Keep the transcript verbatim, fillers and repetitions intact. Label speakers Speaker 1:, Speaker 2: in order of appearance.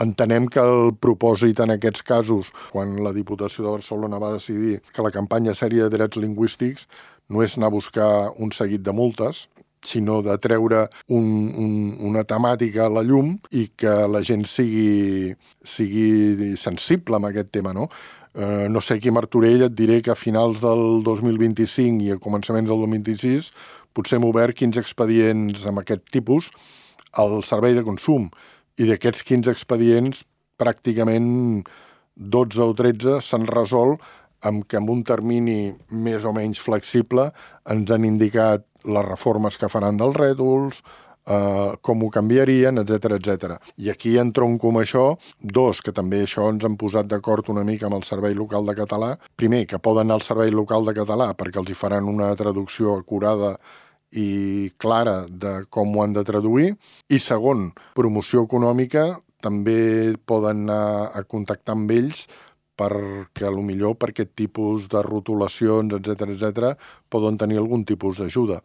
Speaker 1: Entenem que el propòsit en aquests casos, quan la Diputació de Barcelona va decidir que la campanya seria de drets lingüístics, no és anar a buscar un seguit de multes, sinó de treure un, un, una temàtica a la llum i que la gent sigui, sigui sensible amb aquest tema, no? Eh, no sé, aquí a Martorell et diré que a finals del dos mil vint-i-cinc i a començaments del dos mil vint-i-sis potser hem obert quinze expedients amb aquest tipus al servei de consum, i d'aquests quinze expedients pràcticament dotze o tretze s'han resolt amb que en un termini més o menys flexible ens han indicat les reformes que faran dels rètols, eh, com ho canviarien, etcètera, etcètera. I aquí entronco amb això, dos, que també això ens han posat d'acord una mica amb el Servei Local de Català. Primer, que poden anar al Servei Local de Català perquè els hi faran una traducció acurada i clara de com ho han de traduir. I segon, promoció econòmica, també poden anar a contactar amb ells perquè potser per aquest tipus de rotulacions, etcètera, etcètera, poden tenir algun tipus d'ajuda.